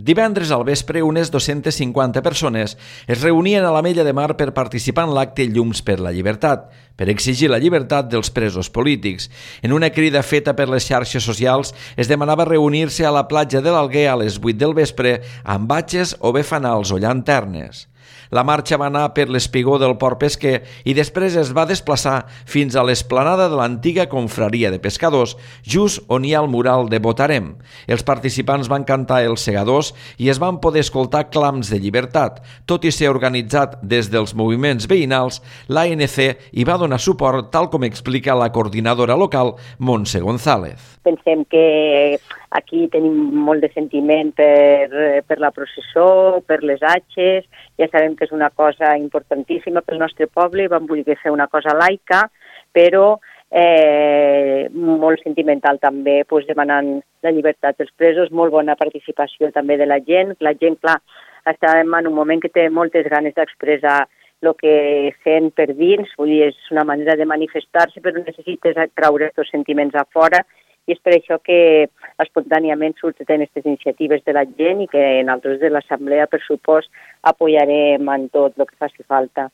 Divendres al vespre, unes 250 persones es reunien a l'Ametlla de Mar per participar en l'acte Llums per la Llibertat, per exigir la llibertat dels presos polítics. En una crida feta per les xarxes socials es demanava reunir-se a la platja de l'Alguer a les 8 del vespre amb batxes o bé fanals o llanternes. La marxa va anar per l'espigó del Port Pesquer i després es va desplaçar fins a l'esplanada de l'antiga confraria de pescadors, just on hi ha el mural de Votarem. Els participants van cantar els segadors i es van poder escoltar clams de llibertat. Tot i ser organitzat des dels moviments veïnals, l'ANC hi va donar suport, tal com explica la coordinadora local, Montse González. Pensem que aquí tenim molt de sentiment per la processó, per les atxes. Ja sabem que és una cosa importantíssima pel nostre poble i vam voler fer una cosa laica, però molt sentimental també, demanant la llibertat dels presos, molt bona participació també de la gent. La gent, clar, estem en un moment que té moltes ganes d'expressar el que sent per dins, vull dir, és una manera de manifestar-se, però necessites traure aquests sentiments a fora, i és per això que espontàniament surten aquestes iniciatives de la gent i que nosaltres de l'Assemblea, per supost, apoyarem en tot el que faci falta.